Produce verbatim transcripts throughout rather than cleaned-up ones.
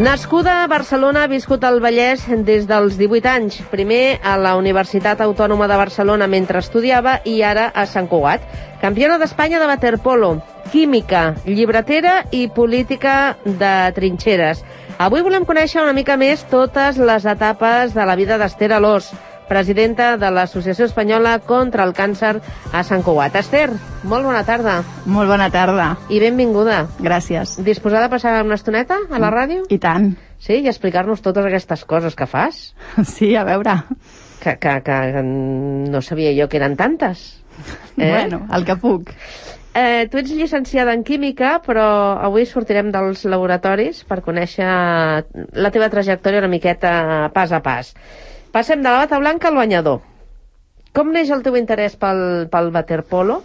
Nascuda a Barcelona, ha viscut al Vallès des dels divuit anys. Primer a la Universitat Autònoma de Barcelona mentre estudiava i ara a Sant Cugat. Campiona d'Espanya de waterpolo, química, llibretera i política de trinxeres. Avui volem conèixer una mica més totes les etapes de la vida d'Esther Alòs, presidenta de l'Associació Espanyola contra el Càncer a Sant Cugat. Esther, molt bona tarda. Molt bona tarda. I benvinguda. Gràcies. Disposada a passar una estoneta a la ràdio? I tant. Sí, i explicar-nos totes aquestes coses que fas? Sí, a veure. Que, que, que no sabia jo que eren tantes. Eh? Bueno, el que puc. Eh, tu ets llicenciada en Química, però avui sortirem dels laboratoris per conèixer la teva trajectòria una miqueta pas a pas. Passem de la bata blanca al banyador. Com neix el teu interès pel, pel waterpolo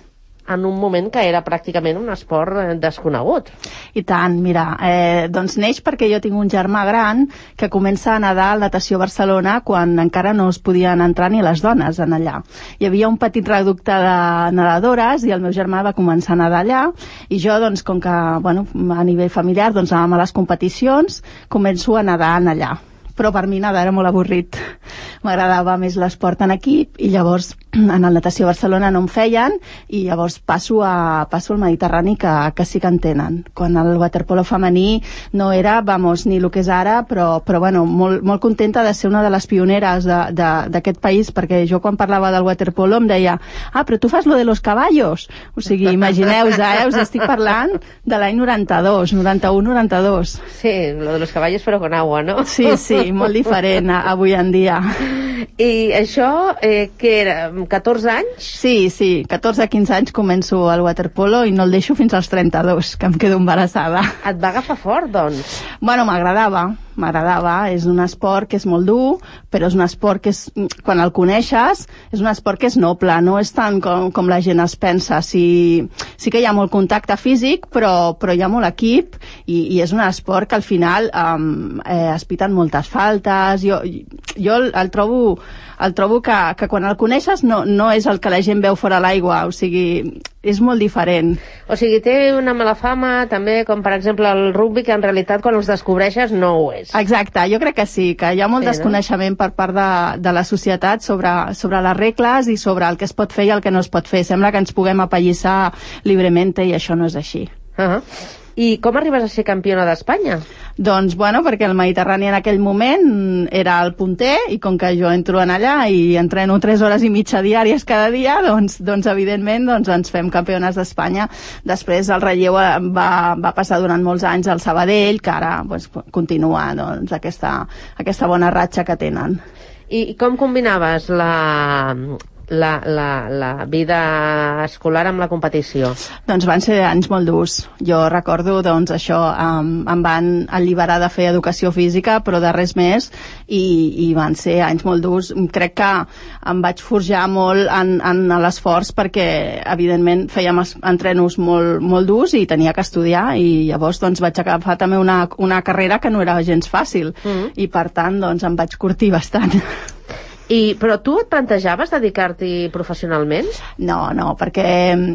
en un moment que era pràcticament un esport desconegut? I tant, mira, eh, doncs neix perquè jo tinc un germà gran que comença a nedar al Natació Barcelona quan encara no es podien entrar ni les dones en allà. Hi havia un petit reducte de nedadores i el meu germà va començar a nedar allà i jo, doncs, com que, bueno, a nivell familiar, doncs anàvem a les competicions, començo a nedar en allà. Però per mi nedar era molt avorrit. M'agradava més l'esport en equip i llavors en el Natació Barcelona no em feien i llavors passo, a, passo al Mediterrani que, que sí que en tenen. Quan el waterpolo femení no era, vamos, ni el que és ara, però, però bueno, molt, molt contenta de ser una de les pioneres d'aquest país, perquè jo quan parlava del waterpolo em deia ah, però tu fas lo de los caballos. O sigui, imagineu-vos, eh? Us estic parlant de l'any noranta-dos, noranta-u noranta-dos. Sí, lo de los caballos però con agua, no? Sí, sí, molt diferent avui en dia. I això, eh, què era, catorze anys? Sí, sí, catorze a quinze anys començo al waterpolo i no el deixo fins als trenta-dos, que em quedo embarassada. Et va agafar fort, doncs? Bueno, m'agradava, m'agradava. És un esport que és molt dur, però és un esport que és, quan el coneixes, és un esport que és noble, no és tant com, com la gent es pensa. Sí, sí que hi ha molt contacte físic, però, però hi ha molt equip i, i és un esport que al final um, eh, es piten moltes faltes. Jo, jo el trobo el trobo que, que quan el coneixes no, no és el que la gent veu fora l'aigua, o sigui, és molt diferent. O sigui, té una mala fama també, com per exemple el rugby, que en realitat quan els descobreixes no ho és. Exacte, jo crec que sí, que hi ha molt sí, desconeixement no? per part de, de la societat sobre, sobre les regles i sobre el que es pot fer i el que no es pot fer. Sembla que ens puguem apallissar lliurement i això no és així. Uh-huh. I com arribes a ser campiona d'Espanya? Doncs, bueno, perquè el Mediterrani en aquell moment era el punter i com que jo entro en allà i entreno tres hores i mitja diàries cada dia, doncs, doncs evidentment doncs, ens fem campiones d'Espanya. Després el relleu va, va passar durant molts anys al Sabadell, que ara doncs, continua doncs, aquesta, aquesta bona ratxa que tenen. I com combinaves la... La, la, la vida escolar amb la competició? Doncs van ser anys molt durs. Jo recordo, doncs, això, um, em van alliberar de fer educació física, però de res més, i, i van ser anys molt durs. Crec que em vaig forjar molt en, en l'esforç perquè, evidentment, fèiem entrenos molt, molt durs i tenia que estudiar, i llavors doncs, vaig agafar també una, una carrera que no era gens fàcil, mm. i per tant doncs, em vaig curtir bastant. I, però tu et plantejaves dedicar-t'hi professionalment? No, no, perquè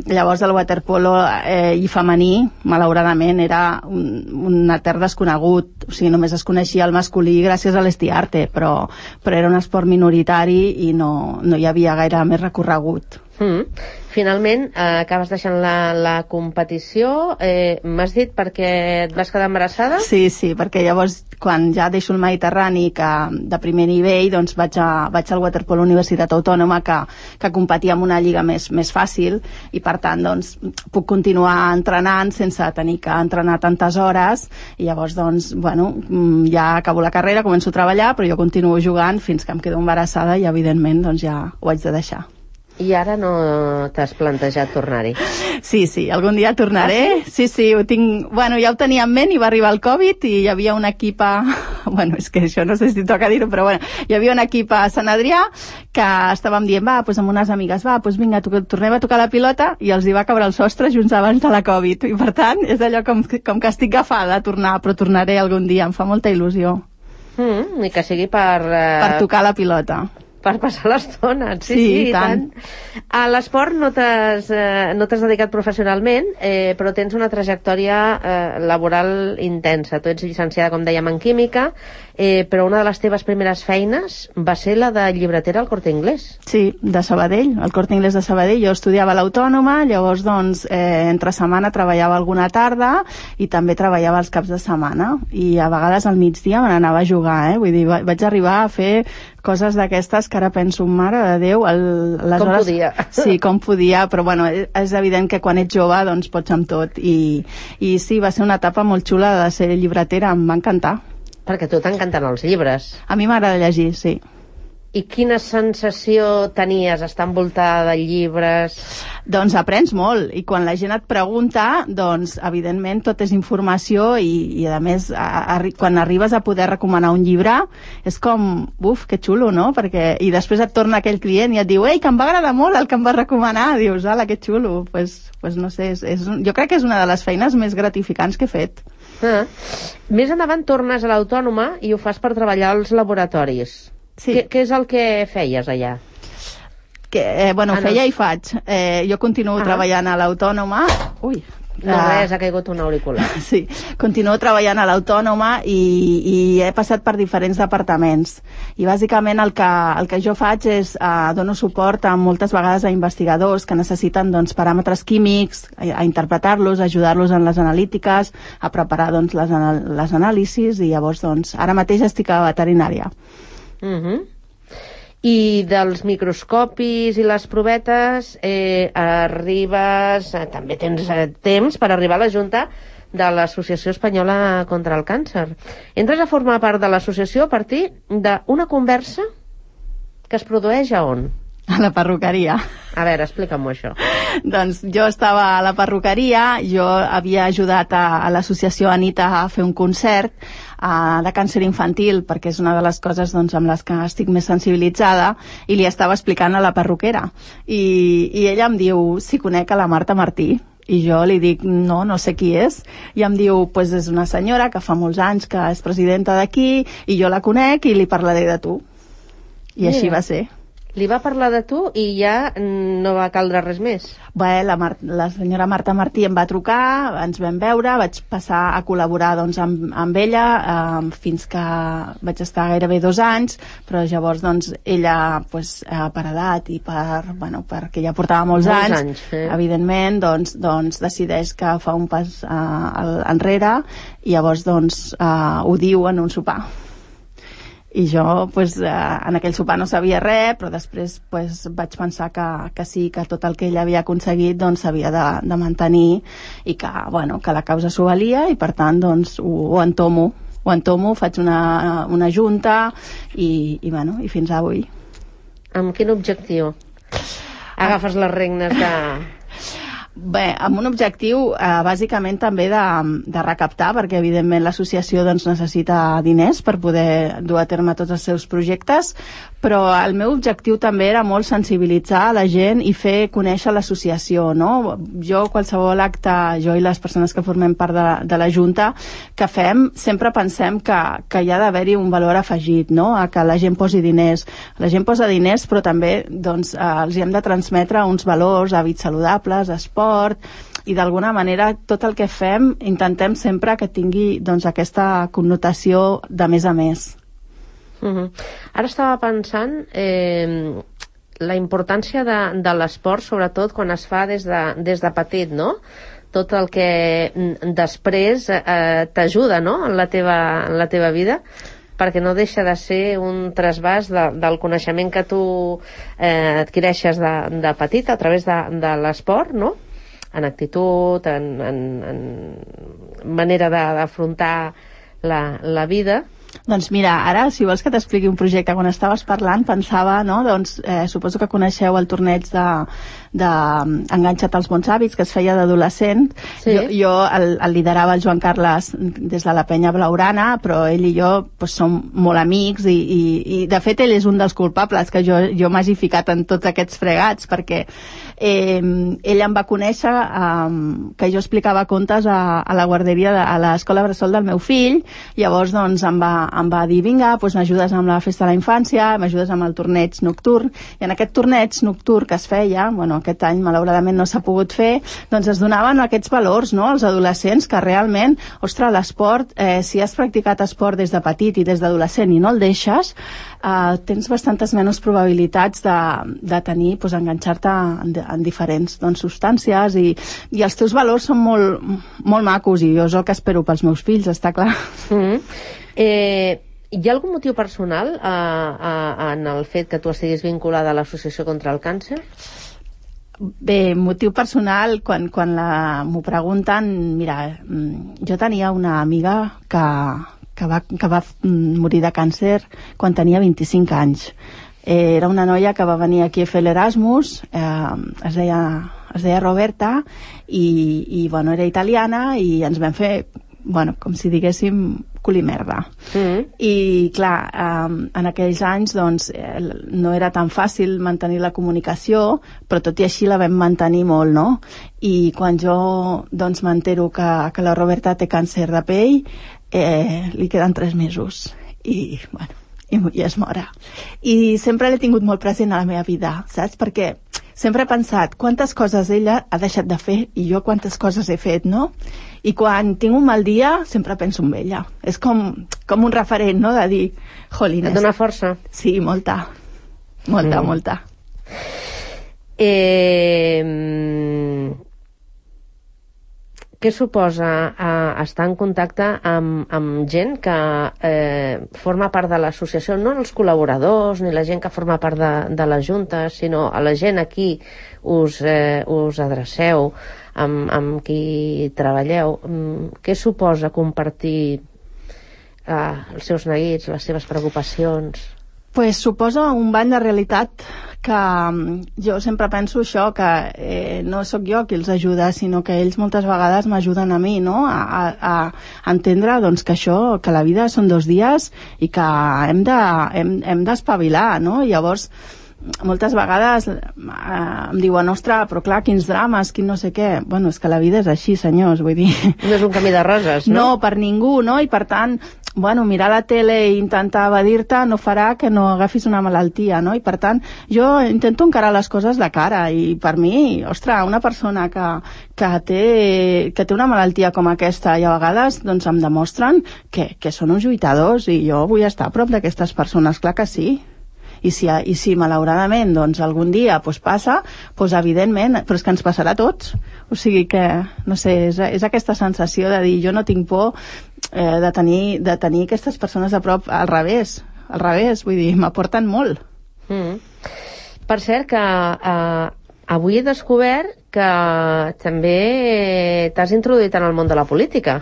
llavors el waterpolo eh, i femení, malauradament, era un, un etern desconegut. O sigui, només es coneixia el masculí gràcies a l'Estiarte, però, però era un esport minoritari i no, no hi havia gaire més recorregut. Mm. Finalment, eh, acabes deixant la, la competició. Eh, M'has dit perquè et vas quedar embarassada? Sí, sí, perquè llavors, quan ja deixo el Mediterrani, que de primer nivell, doncs vaig, a, vaig al waterpolo Universitat Autònoma, que, que competia en una lliga més, més fàcil, i per tant, doncs, puc continuar entrenant sense tenir que entrenar tantes hores, i llavors, doncs, bueno, ja acabo la carrera, començo a treballar, però jo continuo jugant fins que em quedo embarassada i, evidentment, doncs ja ho haig de deixar. I ara no t'has plantejat tornar-hi? Sí, sí, algun dia tornaré. Ah, sí? Sí, sí, ho tinc... Bueno, ja ho tenia en ment i va arribar el Covid i hi havia un equip a... Bueno, és que això no sé si toca dir-ho, però bueno, hi havia un equip a Sant Adrià que estàvem dient, va, doncs amb unes amigues, va, doncs vinga, tornem a tocar la pilota, i els hi va caure el sostre junts abans de la Covid. I per tant, és allò com, com que estic agafada a tornar, però tornaré algun dia, em fa molta il·lusió. Mm, I que sigui per... Uh... Per tocar la pilota. Per passar l'estona, sí, Sí, sí, i i tant. tant. A l'esport no t'has eh, no t'has dedicat professionalment, eh, però tens una trajectòria eh, laboral intensa. Tu ets llicenciada, com dèiem, en química, eh, però una de les teves primeres feines va ser la de llibretera al Corte Inglés. Sí, de Sabadell, al Corte Inglés de Sabadell. Jo estudiava a l'Autònoma, llavors, doncs, eh, entre setmana treballava alguna tarda i també treballava els caps de setmana. I a vegades al migdia me n'anava a jugar, eh? Vull dir, vaig arribar a fer coses d'aquestes que ara penso, mare de Déu, el, les com hores... podia. Sí, com podia, però bueno, és evident que quan ets jove doncs pots amb tot, i, i sí, va ser una etapa molt xula de ser llibretera, em va encantar. Perquè a tu t'encanten els llibres. A mi m'agrada llegir, sí. I quina sensació tenies estar envoltada de llibres? Doncs aprens molt, i quan la gent et pregunta, doncs evidentment tot és informació, i, i a més a, a, quan arribes a poder recomanar un llibre és com, uf, que xulo, no? Perquè, i després et torna aquell client i et diu, ei, que em va agradar molt el que em va recomanar, dius, ala, que xulo. Pues, pues no sé, és, és, jo crec que és una de les feines més gratificants que he fet. Ah. Més endavant tornes a l'Autònoma i ho fas per treballar als laboratoris. Sí. Què, què és el que feies allà? Que, eh, bueno, Ah, no. feia i faig. Eh, jo continuo Ah. treballant a l'Autònoma. Ui, No, Ah. res, ha caigut un auricular. Sí, continuo treballant a l'Autònoma i, i he passat per diferents departaments. I bàsicament el que, el que jo faig és uh, dono suport a moltes vegades a investigadors que necessiten doncs, paràmetres químics, a, a interpretar-los, ajudar-los en les analítiques, a preparar doncs, les, anal les anàlisis, i llavors doncs, ara mateix estic a veterinària. Uh-huh. I dels microscopis i les provetes eh, arribes, eh, també tens eh, temps per arribar a la Junta de l'Associació Espanyola contra el Càncer. Entres a formar part de l'associació a partir d'una conversa que es produeix a on? A la perruqueria. A veure, explica'm-ho això. Doncs jo estava a la perruqueria, jo havia ajudat a, a l'associació Anita a fer un concert uh, de càncer infantil, perquè és una de les coses doncs, amb les que estic més sensibilitzada, i li estava explicant a la perruquera. I, i ella em diu si conec a la Marta Martí. I jo li dic, no, no sé qui és. I em diu, pues és una senyora que fa molts anys que és presidenta d'aquí, i jo la conec i li parlaré de tu. I Mira. així va ser. Li va parlar de tu i ja no va caldre res més. Bé, la, Mar la senyora Marta Martí em va trucar, ens vam veure, vaig passar a col·laborar doncs, amb, amb ella eh, fins que vaig estar gairebé dos anys, però llavors doncs, ella pues, eh, per edat i per, bueno, perquè ja portava molts, Molts anys, anys, eh? evidentment doncs, doncs decideix que fa un pas eh, enrere, i llavors doncs, eh, ho diu en un sopar. I jo pues, eh, en aquell sopar no sabia res, però després pues, vaig pensar que, que sí, que tot el que ell havia aconseguit doncs, s'havia de, de mantenir, i que, bueno, que la causa s'ho valia, i per tant doncs, ho, ho entomo. Ho entomo, faig una, una junta i, i, bueno, i fins avui. Amb quin objectiu agafes les regnes de... Bé, amb un objectiu eh, bàsicament també de, de recaptar, perquè evidentment l'associació doncs, necessita diners per poder dur a terme tots els seus projectes, però el meu objectiu també era molt sensibilitzar a la gent i fer conèixer l'associació, no? Jo, qualsevol acte, jo i les persones que formem part de, de la Junta, que fem, sempre pensem que, que hi ha d'haver-hi un valor afegit, no? A que la gent posi diners. La gent posa diners, però també doncs, eh, els hi hem de transmetre uns valors, hàbits saludables, esport, i d'alguna manera tot el que fem intentem sempre que tingui doncs, aquesta connotació de més a més. Uh-huh. Ara estava pensant eh, la importància de, de l'esport, sobretot quan es fa des de, des de petit, no? Tot el que després eh, t'ajuda, no? en, la teva, en la teva vida, perquè no deixa de ser un trasbàs de, del coneixement que tu eh, adquireixes de, de petit a través de, de l'esport, no? En actitud, en, en, en manera d'afrontar la, la vida. Doncs mira, ara, si vols que t'expliqui un projecte, quan estaves parlant pensava, no, doncs eh, suposo que coneixeu el torneig de, de Enganxa't als bons hàbits, que es feia d'adolescent. Sí. Jo, jo el, el liderava el Joan Carles des de la penya blaurana, però ell i jo pues, som molt amics, i, i, i de fet ell és un dels culpables que jo, jo m'hagi ficat en tots aquests fregats, perquè eh, ell em va conèixer eh, que jo explicava contes a, a la guarderia, de, a l'escola bressol del meu fill, llavors doncs em va em va dir, vinga, doncs m'ajudes amb la festa de la infància, m'ajudes amb el torneig nocturn, i en aquest torneig nocturn que es feia, bueno, aquest any malauradament no s'ha pogut fer, doncs es donaven aquests valors, no?, als adolescents, que realment, ostres, l'esport, eh, si has practicat esport des de petit i des d'adolescent i no el deixes, eh, tens bastantes menys probabilitats de, de tenir, doncs, enganxar-te en, en diferents doncs, substàncies, i, i els teus valors són molt, molt macos, i jo és el que espero pels meus fills, està clar. Mm-hmm. Eh, hi ha algun motiu personal eh, eh, en el fet que tu estiguis vinculada a l'Associació contra el Càncer? Bé, motiu personal, quan, quan la, m'ho pregunten, mira, jo tenia una amiga que, que, va, que va morir de càncer quan tenia vint-i-cinc anys. Eh, era una noia que va venir aquí a fer l'Erasmus, eh, es deia, es deia Roberta, i, i bueno, era italiana, i ens vam fer, bueno, com si diguéssim, culimerda. Mm-hmm. I clar, um, en aquells anys doncs, eh, no era tan fàcil mantenir la comunicació, però tot i així la vam mantenir molt, no? I quan jo doncs, m'entero que, que la Roberta té càncer de pell, eh, li queden tres mesos. I, bueno, i, i es mora. I sempre l'he tingut molt present a la meva vida, saps? Perquè sempre he pensat quantes coses ella ha deixat de fer i jo quantes coses he fet, no? I quan tinc un mal dia sempre penso en ella. És com, com un referent, no?, de dir, jolines. Et dona força? Sí, molta. Molta, mm. molta. Eh, què suposa eh, estar en contacte amb, amb gent que eh, forma part de l'associació, no els col·laboradors ni la gent que forma part de, de la Junta, sinó a la gent a qui us, eh, us adreceu, amb, amb qui treballeu? Què suposa compartir eh, els seus neguits, les seves preocupacions? Pues suposa un bany de realitat que jo sempre penso això, que eh, no sóc jo qui els ajuda, sinó que ells moltes vegades m'ajuden a mi, no?, a, a, a entendre doncs, que això, que la vida són dos dies i que hem de, hem, hem d'espavilar, no? I llavors moltes vegades eh, em diuen, ostres, però clar, quins drames, quin no sé què. Bueno, és que la vida és així, senyors, vull dir... No és un camí de roses, no? No, per ningú, no? I per tant, bueno, mirar la tele i intentar evadir-te no farà que no agafis una malaltia, no? I per tant, jo intento encarar les coses de cara, i per mi, ostres, una persona que, que, té, que té una malaltia com aquesta i a vegades doncs, em demostren que, que són uns lluitadors, i jo vull estar a prop d'aquestes persones, clar que sí. I si, i si malauradament doncs, algun dia doncs, passa, doncs, evidentment, però és que ens passarà a tots. O sigui que, no sé, és, és aquesta sensació de dir, jo no tinc por eh, de, tenir, de tenir aquestes persones a prop, al revés, al revés, vull dir, m'aporten molt. Mm. Per cert, que eh, avui he descobert que també t'has introduït en el món de la política.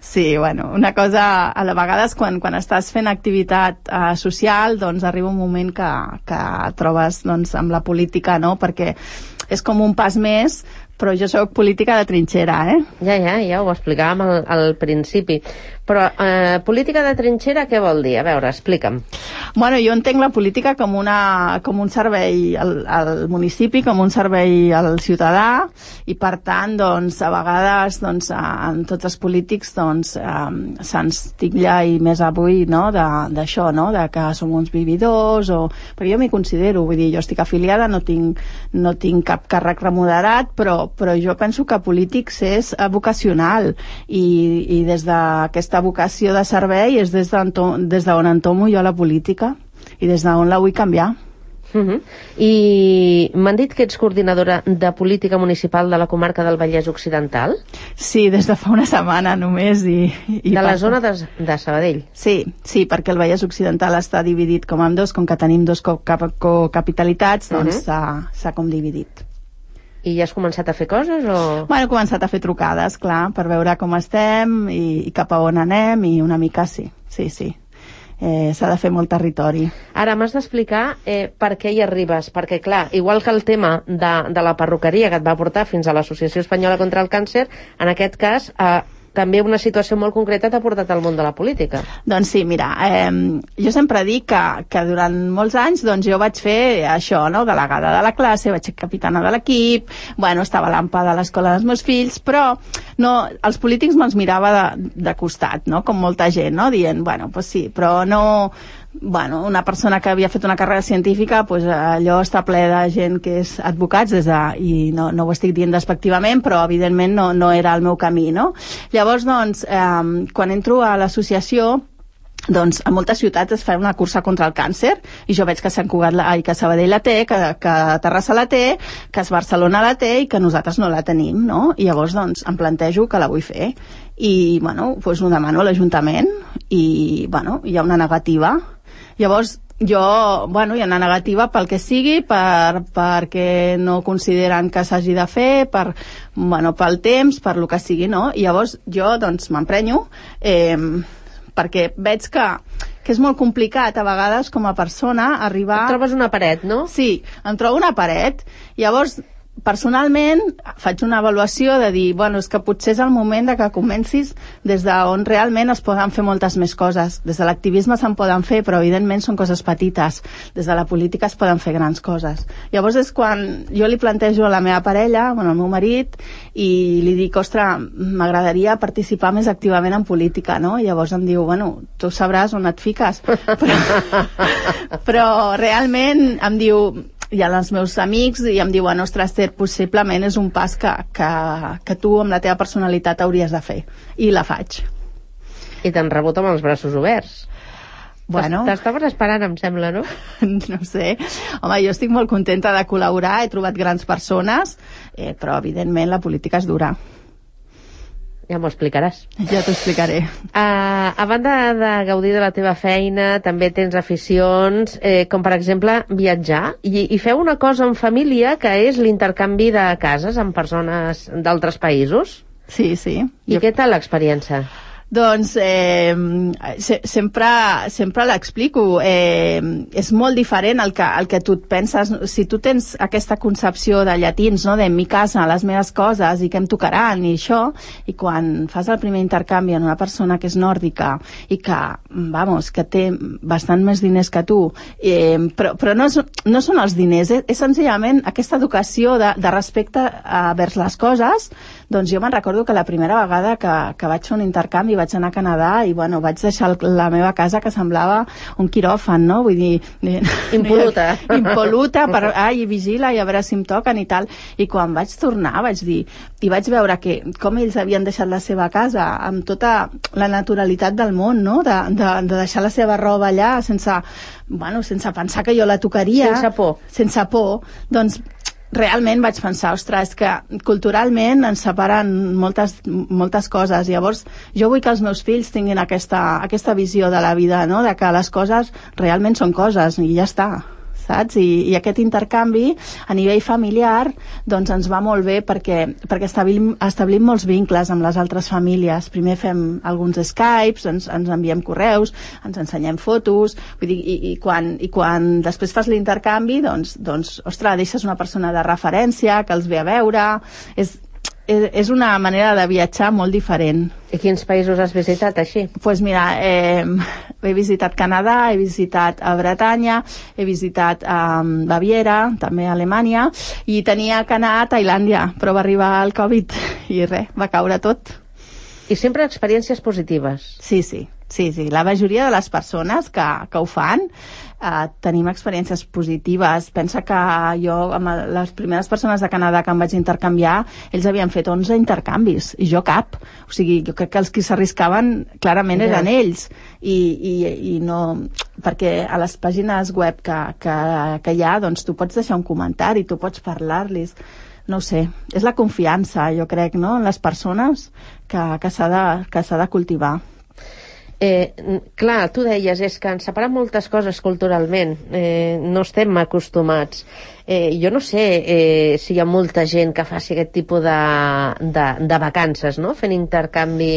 Sí, bueno, una cosa, a vegades quan, quan estàs fent activitat eh, social, doncs arriba un moment que, que trobes doncs, amb la política, no?, perquè és com un pas més, però jo sóc política de trinxera, eh? Ja, ja, ja ho explicàvem al, al principi. Però eh, política de trinxera què vol dir? A veure, explica'm. Bueno, jo entenc la política com, una, com un servei al, al municipi, com un servei al ciutadà, i per tant, doncs, a vegades, doncs, en tots els polítics, doncs, eh, se'ns titlla, i més avui, no?, d'això, no?, de que som uns vividors, o... Perquè jo m'hi considero, vull dir, jo estic afiliada, no tinc, no tinc cap càrrec remunerat, però però jo penso que polítics és vocacional, i, i des d'aquesta vocació de servei és des d'on des d'on entomo jo la política i des d'on la vull canviar. Uh-huh. I m'han dit que ets coordinadora de política municipal de la comarca del Vallès Occidental? Sí, des de fa una setmana només. I, i de la passa. zona de, de Sabadell? Sí, sí, perquè el Vallès Occidental està dividit com en dos, com que tenim dos cocapitalitats, doncs uh-huh. s'ha com dividit. I ja has començat a fer coses, o...? Bueno, he començat a fer trucades, clar, per veure com estem i, i cap a on anem, i una mica sí, sí, sí. Eh, s'ha de fer molt territori. Ara m'has d'explicar eh, per què hi arribes, perquè clar, igual que el tema de, de la perruqueria que et va portar fins a l'Associació Espanyola contra el Càncer, en aquest cas eh, també una situació molt concreta t'ha portat al món de la política. Doncs sí, mira, eh, jo sempre dic que, que durant molts anys doncs, jo vaig fer això, no? Delegada de la classe, vaig ser capitana de l'equip, bueno, estava a l'ampa de l'escola dels meus fills, però no, els polítics me'ls mirava de, de costat, no? Com molta gent, no? Dient, bueno, pues sí, però no... Bueno, una persona que havia fet una carrera científica, pues, allò està ple de gent que és advocats des de, i no, no ho estic dient despectivament, però evidentment no, no era el meu camí, no? Llavors, doncs, eh, quan entro a l'associació, doncs a moltes ciutats es fa una cursa contra el càncer i jo veig que Sant Cugat, la, ai, que Sabadell la té, que, que Terrassa la té, que Barcelona la té i que nosaltres no la tenim, no? I llavors doncs em plantejo que la vull fer i bueno, doncs ho demano a l'Ajuntament i bueno, hi ha una negativa. Llavors jo, bueno, hi ha una negativa pel que sigui, per, perquè no consideren que s'hagi de fer, per, bueno, pel temps, per lo que sigui, no? I llavors jo doncs m'emprenyo, eh, perquè veig que, que és molt complicat a vegades com a persona arribar... Et trobes una paret, no? Sí, em trobo una paret. Llavors, personalment, faig una avaluació de dir, bueno, és que potser és el moment de que comencis des d'on realment es poden fer moltes més coses. Des de l'activisme se'n poden fer, però evidentment són coses petites. Des de la política es poden fer grans coses. Llavors és quan jo li plantejo a la meva parella, bueno, al meu marit, i li dic, ostres, m'agradaria participar més activament en política, no? I llavors em diu, bueno, tu sabràs on et fiques. Però, però realment em diu... Hi ha els meus amics i em diuen, ostres, Esther, possiblement és un pas que, que, que tu amb la teva personalitat hauries de fer. I la faig. I t'han rebut amb els braços oberts. Bueno. T'estaves esperant, em sembla, no? No sé. Home, jo estic molt contenta de col·laborar, he trobat grans persones, eh, però evidentment la política és dura. Ja m'ho explicaràs. Ja t'ho explicaré. Uh, a banda de gaudir de la teva feina, també tens aficions, eh, com per exemple viatjar, i, i feu una cosa en família que és l'intercanvi de cases amb persones d'altres països. Sí, sí. I jo... què tal l'experiència? Doncs eh, se, sempre, sempre l'explico. Eh, és molt diferent el que, el que tu et penses. Si tu tens aquesta concepció de llatins, no? De mi casa, les meves coses i què em tocaran i això, i quan fas el primer intercanvi en una persona que és nòrdica i que, vamos, que té bastant més diners que tu, eh, però, però no, és, no són els diners, és, és senzillament aquesta educació de, de respecte a, vers les coses. Doncs jo me'n recordo que la primera vegada que, que vaig fer un intercanvi vaig anar a Canadà i bueno, vaig deixar la meva casa que semblava un quiròfan, no? Vull dir... Impoluta. Impoluta, per, ai, vigila i a veure si em toquen i tal. I quan vaig tornar vaig dir, i vaig veure que com ells havien deixat la seva casa amb tota la naturalitat del món, no? De, de, de deixar la seva roba allà sense, bueno, sense pensar que jo la tocaria. Sense por. Sense por. Doncs realment vaig pensar, ostres, és que culturalment ens separen moltes, moltes coses. Llavors, jo vull que els meus fills tinguin aquesta, aquesta visió de la vida, no? De que les coses realment són coses i ja està, saps? I, i aquest intercanvi a nivell familiar doncs ens va molt bé perquè, perquè establim, establim molts vincles amb les altres famílies. Primer fem alguns Skypes, ens, ens enviem correus, ens ensenyem fotos, vull dir, i, i, quan, i quan després fas l'intercanvi doncs, doncs, ostres, deixes una persona de referència que els ve a veure. És, és, és una manera de viatjar molt diferent. I quins països has visitat així? Doncs pues mira, eh, he visitat Canadà, he visitat a Bretanya, he visitat a um, Baviera, també a Alemanya, i tenia que anar a Tailàndia, però va arribar el Covid i res, va caure tot. I sempre experiències positives? Sí, sí. Sí, sí, la majoria de les persones que, que ho fan eh, tenim experiències positives. Pensa que jo, amb les primeres persones de Canadà que em vaig intercanviar, ells havien fet onze intercanvis, i jo cap. O sigui, jo crec que els que s'arriscaven clarament ja. eren ells. I, i, i no... Perquè a les pàgines web que, que, que hi ha, doncs tu pots deixar un comentari, tu pots parlar-los. No ho sé, és la confiança, jo crec, no?, en les persones que, que s'ha de, que s'ha de cultivar. Eh, clar, tu deies, és que ens separen moltes coses culturalment, eh, no estem acostumats. Eh, jo no sé eh, si hi ha molta gent que faci aquest tipus de, de, de vacances, no?, fent intercanvi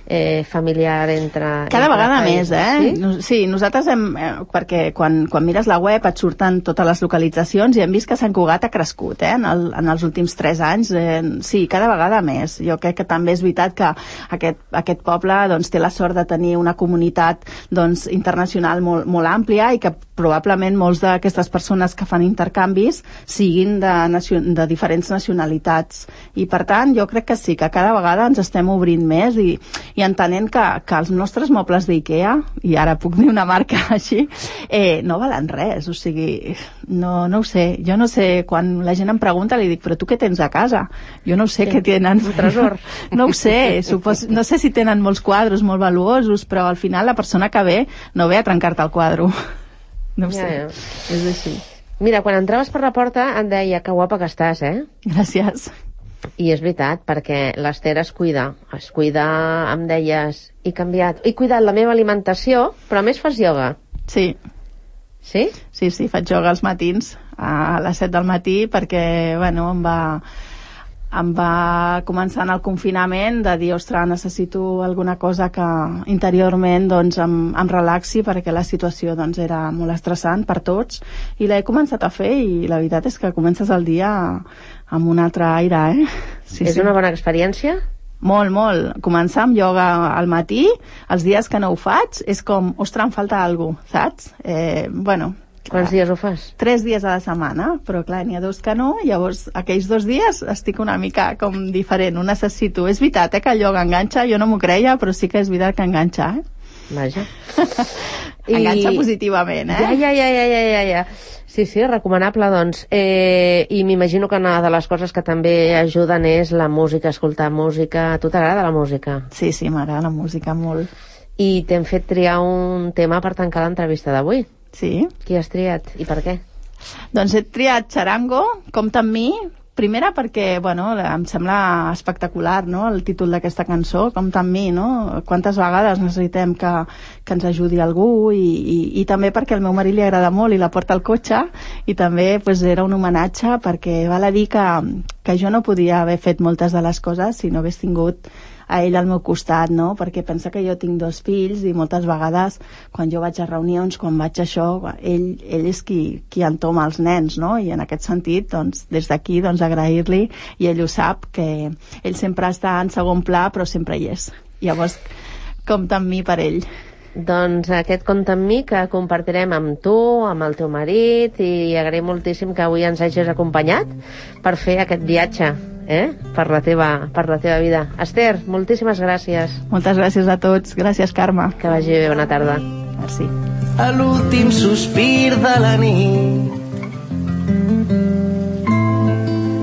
eh, familiar entre... Cada entre vegada països, més, eh? Sí? Sí, nosaltres hem... Eh, perquè quan, quan mires la web et surten totes les localitzacions i hem vist que Sant Cugat ha crescut, eh? En, el, en els últims tres anys. Eh, sí, cada vegada més. Jo crec que també és veritat que aquest, aquest poble doncs, té la sort de tenir una comunitat doncs, internacional molt, molt àmplia i que probablement molts d'aquestes persones que fan intercanvis siguin de, de diferents nacionalitats. I per tant, jo crec que sí, que cada vegada ens estem obrint més i, i entenent que, que els nostres mobles d'IKEA, i ara puc dir una marca així, eh, no valen res. O sigui, no, no ho sé. Jo no sé, quan la gent em pregunta, li dic, però tu què tens a casa? Jo no ho sé, sí, què tenen. Un tresor. No ho sé. Supos, no sé si tenen molts quadros molt valuosos, però al final la persona que ve no ve a trencar-te el quadre. No ho ja, sé. ja. És així. Mira, quan entraves per la porta em deia que guapa que estàs, eh? Gràcies. I és veritat, perquè l'Ester es cuida. Es cuida, em deies, he canviat, he cuidat la meva alimentació, però a més fas ioga. Sí. Sí? Sí, sí, faig ioga als matins, a les set del matí, perquè, bueno, em va... em va començar en el confinament de dir, ostres, necessito alguna cosa que interiorment doncs, em, em relaxi, perquè la situació doncs, era molt estressant per tots, i l'he començat a fer i la veritat és que comences el dia amb un altre aire, eh? Sí, és sí. una bona experiència? Molt, molt. Començar amb ioga al matí, els dies que no ho faig, és com, ostres, em falta alguna cosa, saps? Eh, bueno... Quants dies ho fas? Tres dies a la setmana, però clar, n'hi ha dos que no, llavors aquells dos dies estic una mica com diferent, ho necessito. És veritat, eh, que el ioga enganxa, jo no m'ho creia, però sí que és veritat que enganxa, eh? Vaja. Enganxa I... positivament, eh? Ja, ja, ja, ja, ja, ja, ja. Sí, sí, recomanable, doncs. Eh, I m'imagino que una de les coses que també ajuden és la música, escoltar música. A tu t'agrada la música? Sí, sí, m'agrada la música molt. I t'hem fet triar un tema per tancar l'entrevista d'avui. Sí. Qui has triat i per què? Doncs he triat Charango, Compta amb mi, primera perquè, bueno, em sembla espectacular, no?, el títol d'aquesta cançó, Compta amb mi, no? Quantes vegades necessitem que, que ens ajudi algú i, i, i també perquè al meu marit li agrada molt i la porta al cotxe i també pues, era un homenatge perquè val a dir que, que jo no podia haver fet moltes de les coses si no hagués tingut a ell al meu costat, no? Perquè pensa que jo tinc dos fills i moltes vegades quan jo vaig a reunions, quan vaig a això, ell, ell és qui, qui entoma els nens, no? I en aquest sentit, doncs, des d'aquí, doncs, agrair-li, i ell ho sap, que ell sempre està en segon pla, però sempre hi és. Llavors, compta amb mi per ell. Doncs aquest compte amb mi que compartirem amb tu, amb el teu marit, i agraïm moltíssim que avui ens hagis acompanyat per fer aquest viatge, eh? per, la teva, per la teva vida. Ester, moltíssimes gràcies. Moltes gràcies a tots. Gràcies, Carme. Que vagi bé, bona tarda. Merci. A l'últim sospir de la nit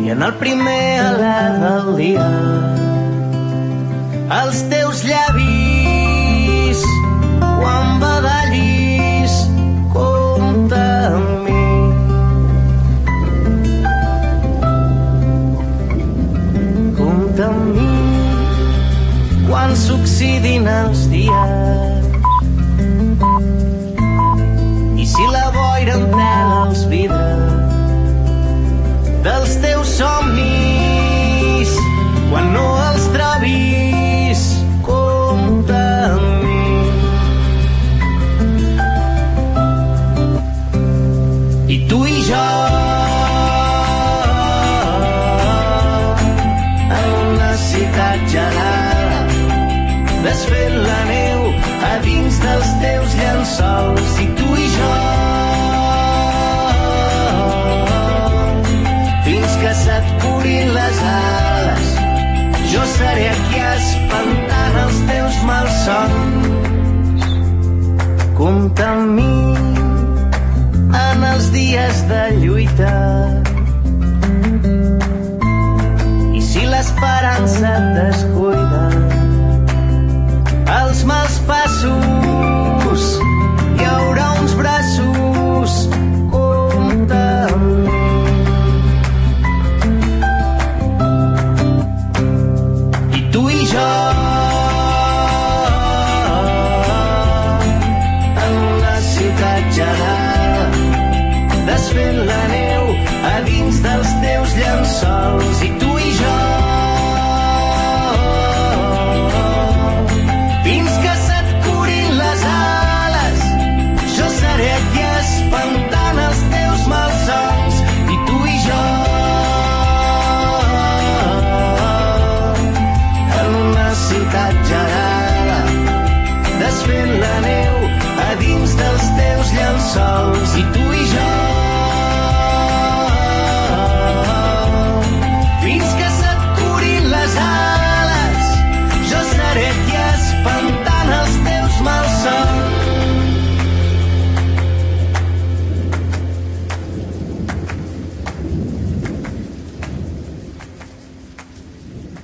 i en el primer alè del dia els teus llavis quan badallis compta amb mi. Compta amb mi quan s'oxidin els dies i si la boira entela els vidres dels teus somnis quan no els trobis compta amb mi. I tu i jo en una ciutat gelada desfent la neu a dins dels teus llençols. I tu i jo fins que se't curin les ales jo seré aquí espantant els teus malsons. Compta amb mi en els dies de lluita i si l'esperança et descuida els mals passos hi haurà uns braços. Compta amb mi. I tu i jo en una ciutat gelada desfent la neu a dins dels teus llençols. I tu